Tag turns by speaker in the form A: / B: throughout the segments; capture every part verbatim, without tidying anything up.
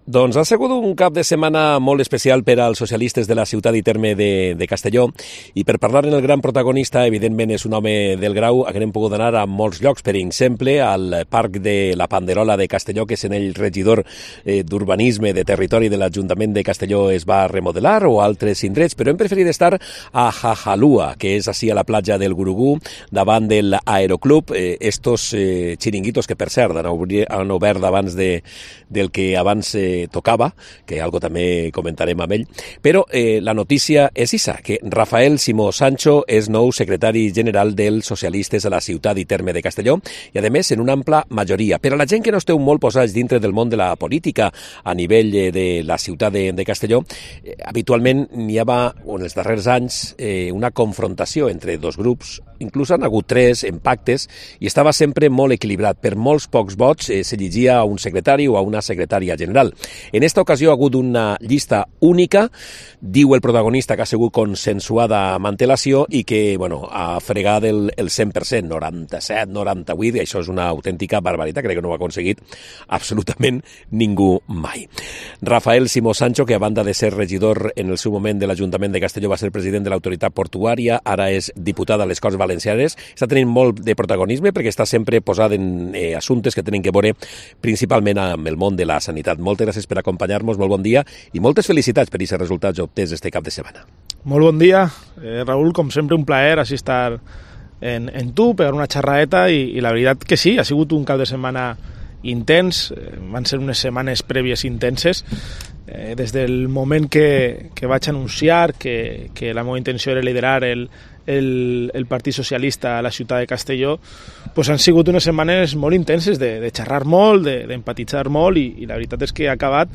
A: Doncs ha sigut un cap de setmana molt especial per als socialistes de la ciutat i terme de, de Castelló, i per parlar en el gran protagonista, evidentment és un home del grau, haguem pogut anar a molts llocs, per exemple al Parc de la Panderola de Castelló, que és en el regidor eh, d'Urbanisme de Territori de l'Ajuntament de Castelló es va remodelar, o altres indrets, però hem preferit estar a Jajalua, que és així a la platja del Gurugú, davant de l'Aeroclub, eh, estos eh, xiringuitos que per cert han, obri, han obert abans de, del que abans eh, tocava, que algo també comentarem amb ell, però eh, la notícia és issa, que Rafael Simó Sancho és nou secretari general dels socialistes a la ciutat i terme de Castelló, i a més en una ampla majoria. Per a la gent que no esteu molt posats dintre del món de la política a nivell de la ciutat de, de Castelló, eh, habitualment n'hi havia, en els darrers anys, eh, una confrontació entre dos grups, inclús han hagut tres en pactes, i estava sempre molt equilibrat. Per molts pocs vots eh, s'elegia a un secretari o a una secretària general. En esta ocasió ha hagut una llista única, diu el protagonista que ha sigut consensuada amb antelació i que, bueno, ha fregat el, el cent per cent, noranta-set, noranta-vuit, i això és una autèntica barbaritat, crec que no ho ha aconseguit absolutament ningú mai. Rafael Simó Sancho, que a banda de ser regidor en el seu moment de l'Ajuntament de Castelló, va ser president de l'autoritat portuària, ara és diputat a les Corts Valencianes, està tenint molt de protagonisme perquè està sempre posat en eh, assumptes que tenen que veure principalment amb el món de la sanitat. Moltes gràcies per acompanyar-nos, molt bon dia i moltes felicitats per aquests resultats obtés este cap de setmana.
B: Molt bon dia, eh, Raül, com sempre un plaer així estar en, en tu, pegar una xerraeta i, i la veritat que sí, ha sigut un cap de setmana intens, eh, van ser unes setmanes prèvies intenses, eh, des del moment que, que vaig anunciar que, que la meva intenció era liderar el El, el Partit Socialista a la ciutat de Castelló, pues han sigut unes setmanes molt intenses de, de xerrar molt, de, d'empatitzar molt, i, i la veritat és que ha acabat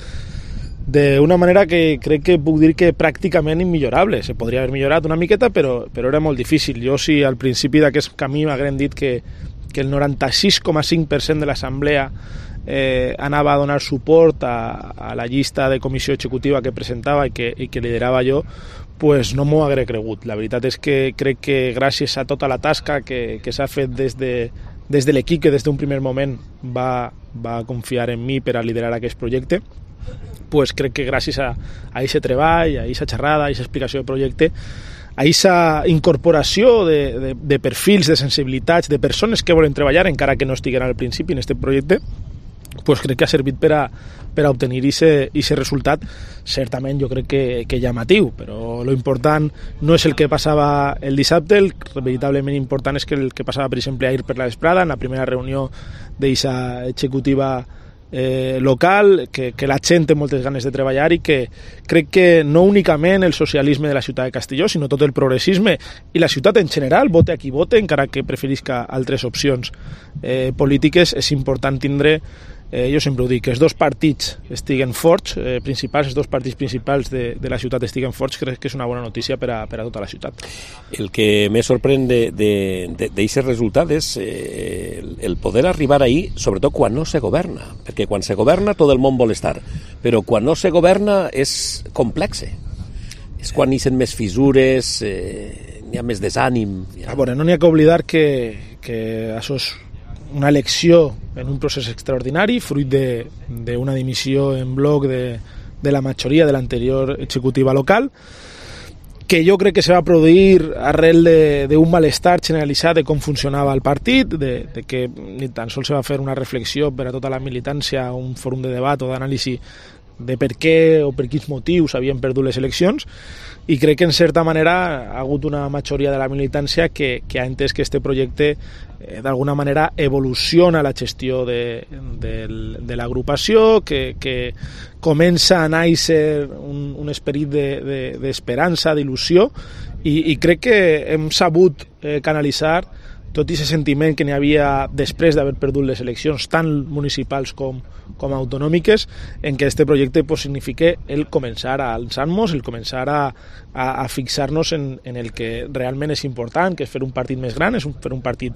B: d'una manera que crec que puc dir que pràcticament immillorable. Se podria haver millorat una miqueta, però, però era molt difícil. Jo, si al principi d'aquest camí m'hagueren dit que, que el noranta-sis coma cinc per cent de l'assemblea eh, anava a donar suport a, a la llista de comissió executiva que presentava i que, i que liderava jo, pues no m'ho hagué cregut. La veritat és que crec que gràcies a tota la tasca que, que s'ha fet des de, des de l'equip, que des d'un primer moment va, va confiar en mi per a liderar aquest projecte, pues crec que gràcies a aquest treball, a aquesta xerrada, a aquesta explicació de projecte, a aquesta incorporació de, de, de perfils, de sensibilitats, de persones que volen treballar, encara que no estiguen al principi en aquest projecte, pues crec que ha servit per a, per a obtenir aquest resultat, certament jo crec que, que llamatiu, però lo important no és el que passava el dissabte, el veritablement important és que el que passava, per exemple, ahir per la vesprada, en la primera reunió d'aquesta executiva eh, local, que, que la gent té moltes ganes de treballar i que crec que no únicament el socialisme de la ciutat de Castelló, sinó tot el progressisme i la ciutat en general, vote a qui vote, encara que preferisca altres opcions eh, polítiques, és important tindre, eh, jo sempre ho dic, que els dos partits estiguen forts, eh, principals, els dos partits principals de, de la ciutat estiguen forts, crec que és una bona notícia per a, per a tota la ciutat.
A: El que més sorprèn d'aquest resultat és eh, el poder arribar ahí, sobretot quan no se governa, perquè quan se governa tot el món vol estar, però quan no se governa és complexe. És quan hi ha més fissures, eh, n'hi ha més desànim.
B: Ha... A veure, no n'hi ha que oblidar que, que això és una elecció en un procés extraordinari, fruit d'una dimissió en bloc de, de la majoria de l'anterior executiva local, que jo crec que se va produir arrel d'un malestar generalitzat de com funcionava el partit, de, de que ni tan sols se va fer una reflexió per a tota la militància, un fòrum de debat o d'anàlisi de per què o per quins motius havien perdut les eleccions, i crec que en certa manera ha hagut una majoria de la militància que, que ha entès que este projecte eh, d'alguna manera evoluciona la gestió de, de, de l'agrupació, que, que comença a néixer un, un esperit d'esperança, de, de, d'il·lusió, i, i crec que hem sabut eh, canalitzar tot aquest sentiment que n'hi havia després d'haver perdut les eleccions tant municipals com, com autonòmiques, en què este projecte pues, significa el començar a alçar-nos, el començar a, a, a fixar-nos en, en el que realment és important, que és fer un partit més gran, és un, fer un partit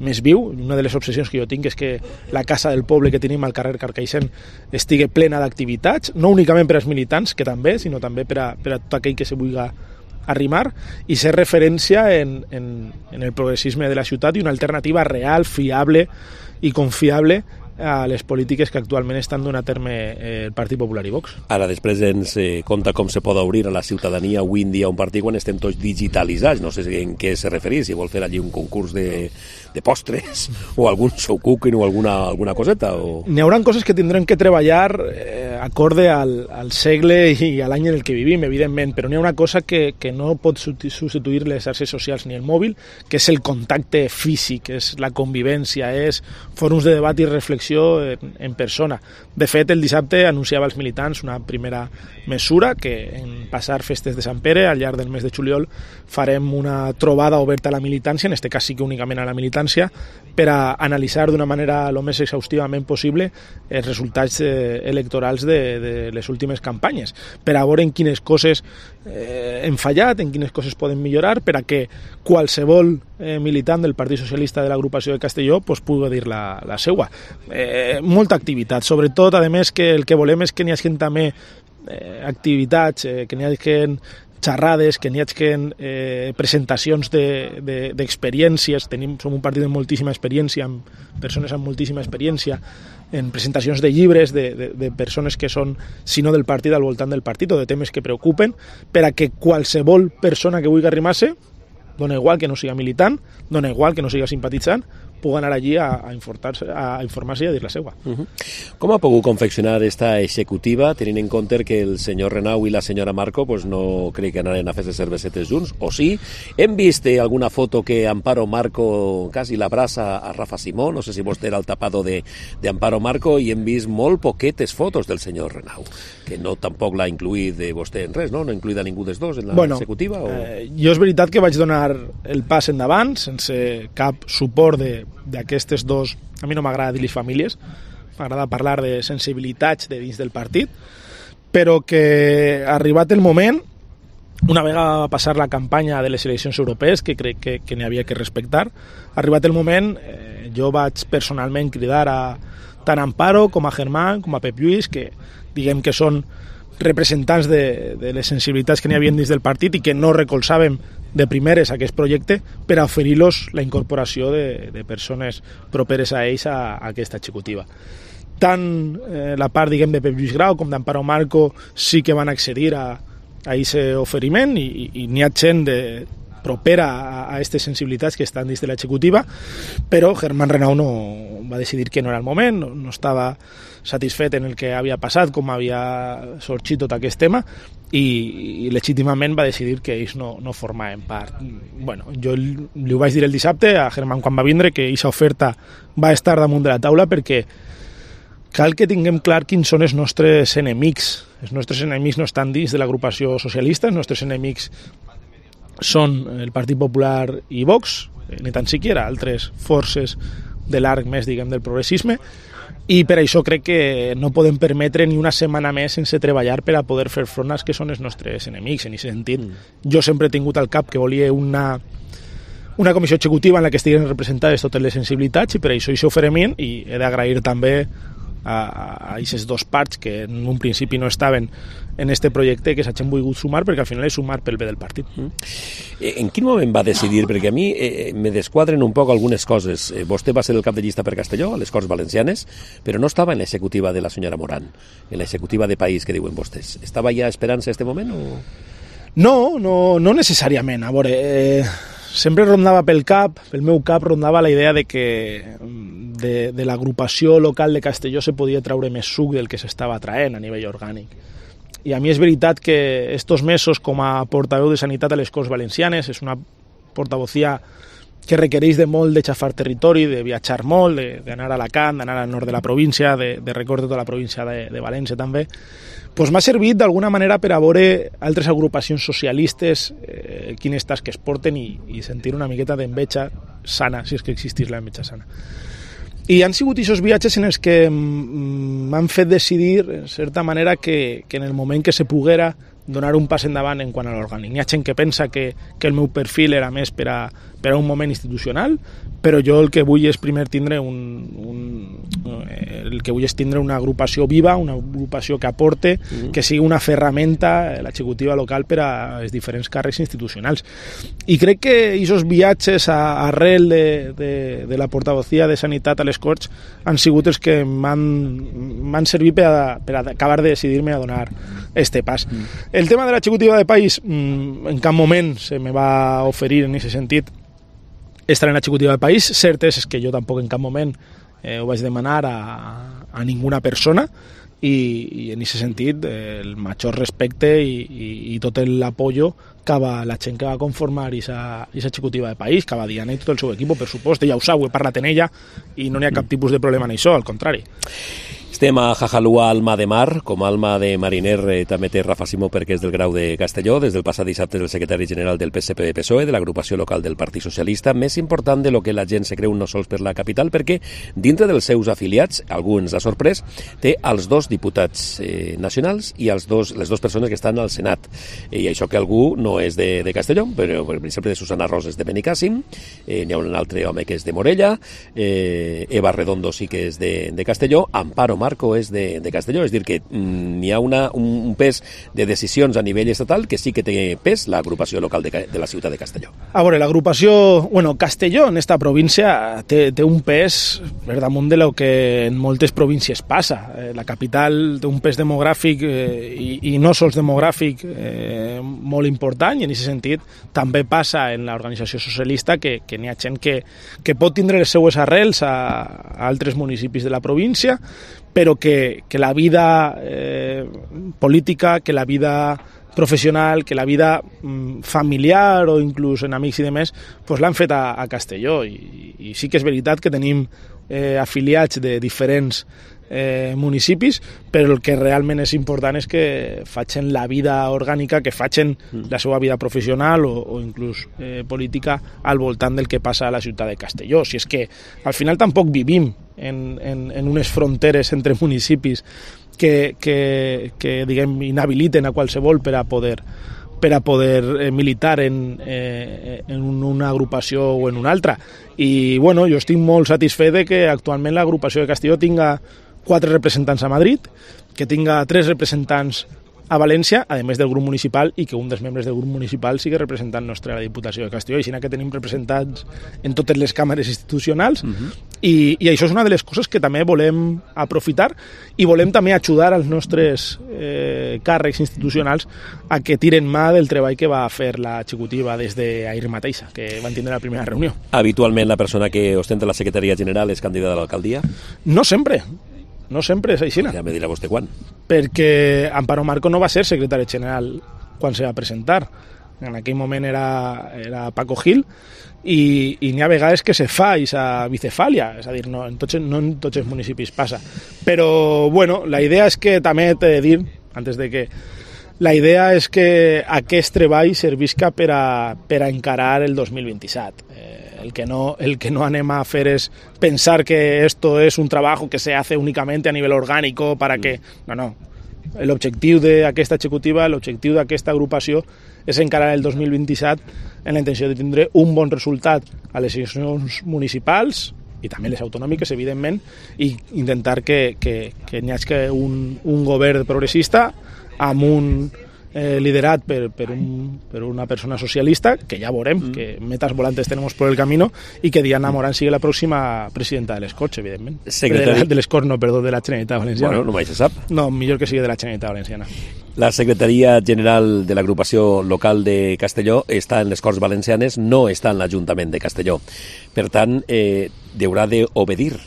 B: més viu. Una de les obsessions que jo tinc és que la casa del poble que tenim al carrer Carcaixent estigui plena d'activitats, no únicament per als militants, que també, sinó també per a, per a tot aquell que se vulgui arrimar, i ser referència en, en, en el progressisme de la ciutat i una alternativa real, fiable i confiable a les polítiques que actualment estan donant a terme el Partit Popular i Vox.
A: Ara després ens eh, conta com se pot obrir a la ciutadania avui en dia un partit quan estem tots digitalitzats. No sé en què se referís, si vol fer allí un concurs de, de postres o algun show cooking o alguna, alguna coseta. O...
B: N'hi haurà coses que tindrem que treballar eh, acorde al, al segle i a l'any en el que vivim, evidentment, però n'hi ha una cosa que, que no pot substituir les xarxes socials ni el mòbil, que és el contacte físic, és la convivència, és fòrums de debat i reflexió en, en persona. De fet, el dissabte anunciava als militants una primera mesura, que en passar festes de Sant Pere, al llarg del mes de juliol, farem una trobada oberta a la militància, en este cas sí que únicament a la militància, per a analitzar d'una manera el més exhaustivament possible els resultats eh, electorals de, de les últimes campanyes, per a veure en quines coses eh, hem fallat, en quines coses poden millorar, per a que qualsevol eh, militant del Partit Socialista de l'agrupació de Castelló pues, pugui dir la, la seua. Eh, molta activitat, sobretot, a més, que el que volem és que n'hi hagi també eh, activitats, eh, que n'hi hagi xerrades, que n'hi hagi eh, presentacions d'experiències. De, Tenim, som un partit amb moltíssima experiència, amb persones amb moltíssima experiència, en presentacions de llibres de, de, de persones que són, si no del partit, al voltant del partit, o de temes que preocupen, per a que qualsevol persona que vulgui arrimar-se, dona igual que no siga militant, dona igual que no siga simpatitzant, pugui anar allí a, a informar-se a informar-se i a dir la seva.
A: Uh-huh. Com ha pogut confeccionar esta executiva, tenint en compte que el senyor Renau i la senyora Marco pues, no crec que anaren a fer cervesetes junts, o sí? Hem vist eh, alguna foto que Amparo Marco quasi l'abraça a Rafa Simó, no sé si vostè era el tapado de, de Amparo Marco, i hem vist molt poquetes fotos del senyor Renau, que no tampoc l'ha incluït de vostè en res, no? No ha incluït a ningú dels dos en la
B: bueno,
A: executiva? O...
B: Eh, jo és veritat que vaig donar el pas endavant, sense cap suport de d'aquestes dos, a mi no m'agrada dir-los famílies, m'agrada parlar de sensibilitats de dins del partit, però que arribat el moment, una vegada va passar la campanya de les eleccions europees, que crec que, que n'hi havia que respectar, arribat el moment, eh, jo vaig personalment cridar a tant a Amparo com a Germán, com a Pep Lluís, que diguem que són representants de, de les sensibilitats que n'hi havia dins del partit i que no recolzàvem de primeres aquest projecte, per a oferir-los la incorporació de, de persones properes a ells a, a aquesta executiva. Tant eh, la part, diguem, de Pep Lluís Grau com d'Amparo Marco sí que van accedir a a aquest oferiment, i, i, i n'hi ha gent de, propera a aquestes sensibilitats que estan dins de l'executiva, però Germán Renau no va decidir que no era el moment, no, no estava satisfet en el que havia passat, com havia sorgit tot aquest tema, i, i legítimament va decidir que ells no, no formaven part. Bueno, jo li ho vaig dir el dissabte a Germán quan va vindre, que aquesta oferta va estar damunt de la taula, perquè cal que tinguem clar quins són els nostres enemics. Els nostres enemics no estan dins de l'agrupació socialista, els nostres enemics són el Partit Popular i Vox, ni tan siquiera altres forces de l'arc més, diguem, del progressisme, i per això crec que no podem permetre ni una setmana més sense treballar per a poder fer front als que són els nostres enemics. En aquest sentit, jo sempre he tingut al cap que volia una una comissió executiva en la que estiguin representades totes les sensibilitats, i per això hi s'oferiment, i he d'agrair també a aquestes dos parts que en un principi no estaven en este projecte, que s'hagin volgut sumar, perquè al final és sumar pel bé del partit.
A: En quin moment va decidir? Perquè a mi eh, me desquadren un poc algunes coses. Eh, vostè va ser el cap de llista per Castelló, a les Corts Valencianes, però no estava en l'executiva de la senyora Morán, en l'executiva de país que diuen vostès. Estava ja esperant-se este moment o...?
B: No, no, no necessàriament. A veure, eh, sempre rondava pel cap, pel meu cap rondava la idea de que de, de l'agrupació local de Castelló se podia treure més suc del que s'estava traient a nivell orgànic. I a mi és veritat que estos mesos com a portaveu de Sanitat a les Corts Valencianes és una portavocía que requereix de molt de xafar territori, de viatjar molt, d'anar a Alacant, d'anar al nord de la província, de, de recórrer tota la província de, de València també, pues m'ha servit d'alguna manera per a veure altres agrupacions socialistes eh, quines tasques porten i, i sentir una miqueta d'enveja sana, si és que existís la enveja sana. I han sigut aquests viatges en els que m'han fet decidir, en certa manera, que, que en el moment que se poguera donar un pas endavant en quant a l'orgànic. N'hi ha gent que pensa que, que el meu perfil era més per a, per a un moment institucional, però jo el que vull és primer tindre un, un, El que vull és tindre una agrupació viva, una agrupació que aporte, mm. que sigui una ferramenta, l'executiva local, per a els diferents càrrecs institucionals. I crec que aquests viatges a, arrel de, de, de la portavocía de Sanitat a les Corts han sigut els que m'han servit per, a, per a acabar de decidir-me a donar este pas. Mm. El tema de l'executiva de país, en cap moment se me va oferir en aquest sentit estar en l'executiva de país. Cert és que jo tampoc en cap moment eh, ho vaig demanar a, a ninguna persona, i, i en aquest sentit eh, el major respecte i, i, i tot l'apoyo cap a la gent que va conformar aquesta executiva de país, cap a Diana i tot el seu equip, per supost. Ella ho sap, he parlat en ella i no n'hi ha cap tipus de problema en això, al contrari.
A: Estem a Jajalua, Alma de Mar. Com a alma de mariner eh, també té Rafa Simó, perquè és del Grau de Castelló. Des del passat dissabte és el secretari general del P S P P S O E, de l'agrupació local del Partit Socialista, més important de lo que la gent se creu no sols per la capital, perquè dintre dels seus afiliats, algú ens ha sorprès, té els dos diputats eh, nacionals i els dos, les dues persones que estan al Senat. I això que algú no és de, de Castelló, però per exemple de Susana Roses de Benicàssim, eh, n'hi ha un altre home que és de Morella, eh, Eva Redondo sí que és de, de Castelló, Amparo Marco és de, de Castelló, és dir que mm, n'hi ha una, un, un pes de decisions a nivell estatal que sí que té pes l'agrupació local de, de la ciutat de Castelló.
B: A veure, l'agrupació, bueno, Castelló en esta província té, té un pes per damunt de lo que en moltes províncies passa. Eh, la capital té un pes demogràfic eh, i, i no sols demogràfic eh, molt important, i en aquest sentit també passa en l'organització socialista que, que n'hi ha gent que, que pot tindre les seues arrels a, a altres municipis de la província, però que, que la vida eh, política, que la vida professional, que la vida mm, familiar o inclús en amics i demés, pues l'han fet a, a Castelló. I, I sí que és veritat que tenim eh, afiliats de diferents eh, municipis, però el que realment és important és que facin la vida orgànica, que facin la seva vida professional o, o inclús eh, política al voltant del que passa a la ciutat de Castelló. Si és que al final tampoc vivim en, en, en unes fronteres entre municipis que, que, que diguem, inhabiliten a qualsevol per a poder per a poder eh, militar en, eh, en una agrupació o en una altra. I bueno, jo estic molt satisfet de que actualment l'agrupació de Castelló tinga quatre representants a Madrid, que tinga tres representants a València, a més del grup municipal, i que un dels membres del grup municipal sigui representant nostre a la Diputació de Castelló, així que tenim representants en totes les càmeres institucionals, uh-huh. i, i això és una de les coses que també volem aprofitar, i volem també ajudar als nostres eh, càrrecs institucionals a que tiren mà del treball que va fer l'executiva des d'ahir mateixa, que van tindre la primera reunió.
A: Habitualment la persona que ostenta la secretaria general és candidata a l'alcaldia?
B: No sempre. No sempre és així.
A: Ja me dirà vostè quan.
B: Perquè Amparo Marco no va ser secretari general quan se va presentar. En aquell moment era, era Paco Gil, i, i n'hi ha vegades que se fa aquesta bicefàlia, és a dir, no en, tots, no en tots els municipis passa. Però, bueno, la idea és que també t'he de dir, antes de que la idea és que aquest treball servisca per a, per a encarar el dos mil vint-i-set. Eh, el, que no, el que no anem a fer és pensar que esto es un trabajo que se hace únicamente a nivel orgánico para que... No, no. L'objectiu d'aquesta executiva, l'objectiu d'aquesta agrupació és encarar el dos mil vint-i-set en la intenció de tindre un bon resultat a les eleccions municipals i també les autonòmiques, evidentment, i intentar que, que, que n'hi hagi un, un govern progressista amb un eh, liderat per, per, un, per una persona socialista, que ja veurem, mm. que metas volantes tenemos por el camino, i que Diana Morán sigui la pròxima presidenta de les Corts, evidentment. Secretari... De, de les Corts, no, perdó, de la Generalitat Valenciana.
A: Bueno, no mai se sap.
B: No, millor que sigui de la Generalitat Valenciana.
A: La Secretaria General de l'Agrupació Local de Castelló està en les Corts Valencianes, no està en l'Ajuntament de Castelló. Per tant, eh, haurà d'obedir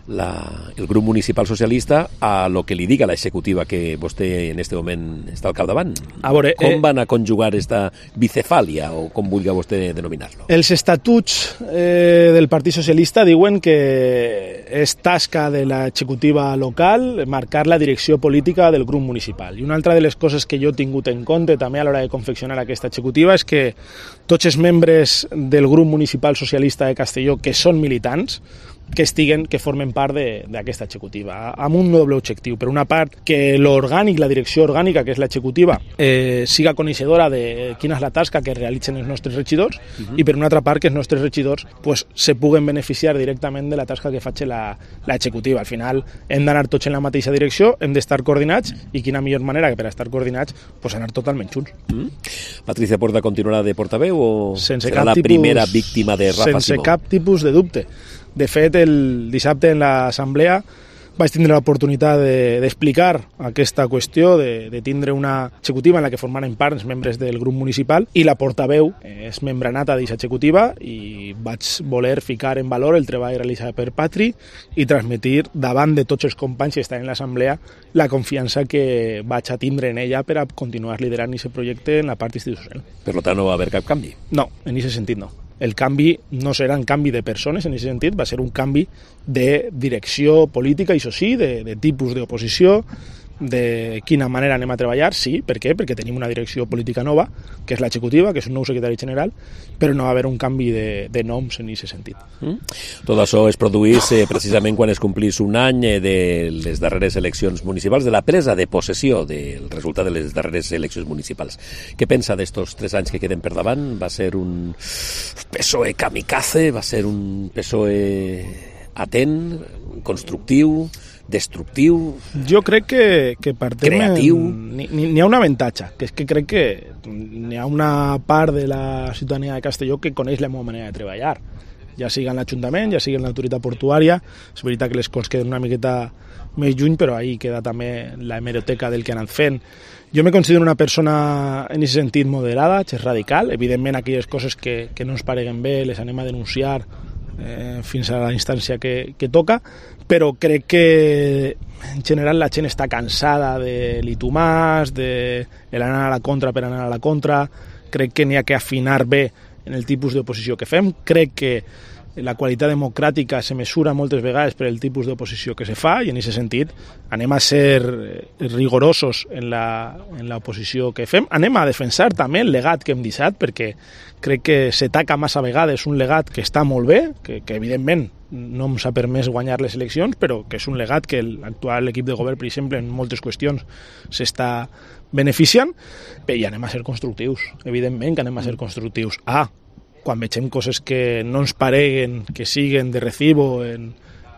A: La, el grup municipal socialista a lo que li diga la executiva que vostè en este moment està al capdavant. A veure, com eh, van a conjugar esta bicefàlia, o com vulgui vostè denominar-lo?
B: Els estatuts eh, del Partit Socialista diuen que és tasca de l'executiva local marcar la direcció política del grup municipal. I una altra de les coses que jo he tingut en compte també a l'hora de confeccionar aquesta executiva és que tots els membres del grup municipal socialista de Castelló que són militants que estiguen, que formen part d'aquesta executiva, amb un doble objectiu. Per una part, que l'orgànic, la direcció orgànica, que és l'executiva, eh, siga coneixedora de quina és la tasca que realitzen els nostres regidors, uh-huh. i per una altra part, que els nostres regidors pues, se puguen beneficiar directament de la tasca que faig l'executiva. Al final, hem d'anar tots en la mateixa direcció, hem d'estar coordinats, i quina millor manera que per estar coordinats, pues, anar totalment junts.
A: Mm. Patricia Puerta continuarà de portaveu o
B: sense
A: serà la tipus, primera víctima de Rafa
B: sense
A: Simó?
B: Sense cap tipus de dubte. De fet, el dissabte en l'assemblea vaig tindre l'oportunitat d'explicar de, aquesta qüestió, de, de tindre una executiva en la que formaren part els membres del grup municipal, i la portaveu és membre nata d'aquesta executiva, i vaig voler ficar en valor el treball realitzat per Patri i transmetre davant de tots els companys que estan en l'assemblea la confiança que vaig a tindre en ella per a continuar liderant aquest projecte en la part institucional.
A: Per tant, no va haver cap canvi?
B: No, en aquest sentit no. El canvi no serà un canvi de persones, en aquest sentit, va ser un canvi de direcció política, i això sí, de, de tipus d'oposició, de quina manera anem a treballar, sí, per què? Perquè tenim una direcció política nova, que és l'executiva, que és un nou secretari general, però no va haver un canvi de, de noms en aquest sentit.
A: Mm. Tot això es produís eh, precisament quan es complís un any eh, de les darreres eleccions municipals, de la presa de possessió del resultat de les darreres eleccions municipals. Què pensa d'estos tres anys que queden per davant? Va ser un P S O E kamikaze? Va ser un P S O E atent, constructiu, destructiu?
B: Jo crec que, que partem
A: creatiu.
B: N'hi ha un avantatge, que és que crec que n'hi ha una part de la ciutadania de Castelló que coneix la meva manera de treballar, ja sigui en l'Ajuntament, ja sigui en l'autoritat portuària. És veritat que les coses queden una miqueta més lluny, però ahí queda també la hemeroteca del que han anat fent. Jo me considero una persona en aquest sentit moderada, és radical. Evidentment, aquelles coses que, que no ens pareguen bé les anem a denunciar eh, fins a la instància que, que toca, però crec que en general la gent està cansada de l'itumàs, de l'anar a la contra per anar a la contra. Crec que n'hi ha que afinar bé en el tipus d'oposició que fem. Crec que la qualitat democràtica se mesura moltes vegades per el tipus d'oposició que se fa, i en aquest sentit anem a ser rigorosos en l'oposició que fem. Anem a defensar també el legat que hem deixat, perquè crec que s'ataca massa vegades un legat que està molt bé, que, que evidentment no ens ha permès guanyar les eleccions, però que és un legat que l'actual equip de govern, per exemple, en moltes qüestions s'està beneficiant, i anem a ser constructius, evidentment que anem a ser constructius. Ah, quan vegem coses que no ens pareguen, que siguen de recibo en,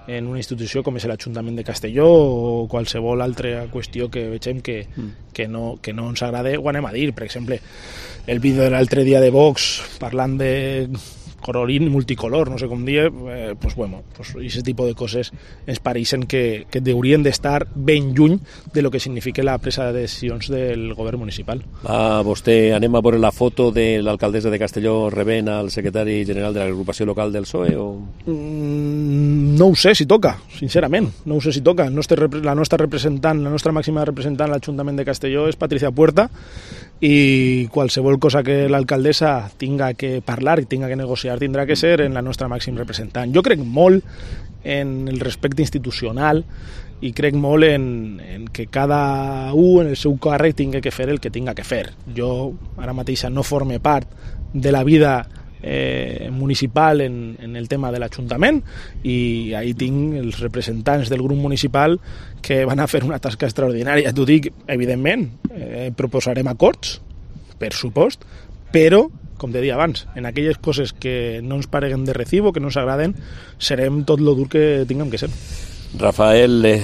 B: en una institució com és l'Ajuntament de Castelló o qualsevol altra qüestió que vegem que, que, no, que no ens agrada, ho anem a dir. Per exemple, el vídeo de l'altre dia de Vox parlant de colorín multicolor, no sé com dir, eh, pues bueno, pues aquest tipus de coses ens pareixen que, que haurien d'estar ben lluny de lo que significa la presa de decisions del govern municipal.
A: Ah, vostè, anem a veure la foto de l'alcaldessa de Castelló rebent al secretari general de l'agrupació local del P S O E? O...
B: Mm, no ho sé si toca, sincerament, no ho sé si toca. El nostre, la nostra representant, la nostra màxima representant a l'Ajuntament de Castelló és Patricia Puerta, i qualsevol cosa que l'alcaldessa tinga que parlar i tinga que negociar tindrà que ser en la nostra màxim representant. Jo crec molt en el respecte institucional i crec molt en, en que cada un en el seu càrrec tingui que fer el que tinga que fer. Jo ara mateix no forme part de la vida eh, municipal en, en el tema de l'Ajuntament, i ahí tinc els representants del grup municipal que van a fer una tasca extraordinària. T'ho dic, evidentment, eh, proposarem acords, per supost, però, com te deia abans, en aquelles coses que no ens pareguen de recibo, que no ens agraden, serem tot lo dur que tinguem que ser.
A: Rafael eh,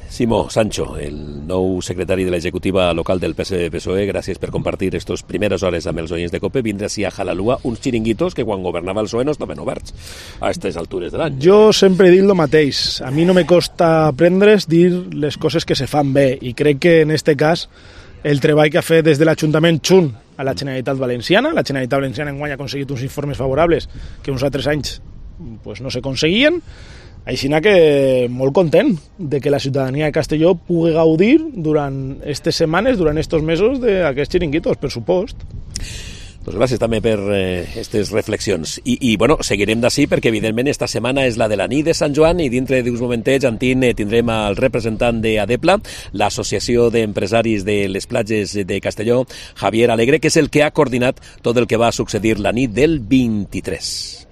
A: Simó Sancho, el nou secretari de l'executiva local del P S O E, gràcies per compartir aquestes primeres hores amb els oients de COPE. Vindre així a Jalalua uns xiringuitos que quan governava el P S O E no estaven oberts a aquestes altures de l'any.
B: Jo sempre he dit el mateix. A mi no me costa aprendre's dir les coses que se fan bé, i crec que en este cas el treball que ha fet des de l'Ajuntament junt a la Generalitat Valenciana, la Generalitat Valenciana enguany ha aconseguit uns informes favorables que uns altres anys pues, no s'aconseguien. Així que molt content de que la ciutadania de Castelló pugui gaudir durant aquestes setmanes, durant aquests mesos d'aquests xiringuitos, per supost.
A: Pues gràcies també per aquestes eh, reflexions. I, i bueno, seguirem d'ací perquè evidentment esta setmana és la de la nit de Sant Joan, i dintre d'uns momentets, Antín, eh, tindrem el representant d'Adepla, l'Associació d'Empresaris de les Platges de Castelló, Javier Alegre, que és el que ha coordinat tot el que va succeir la nit del vint-i-tres.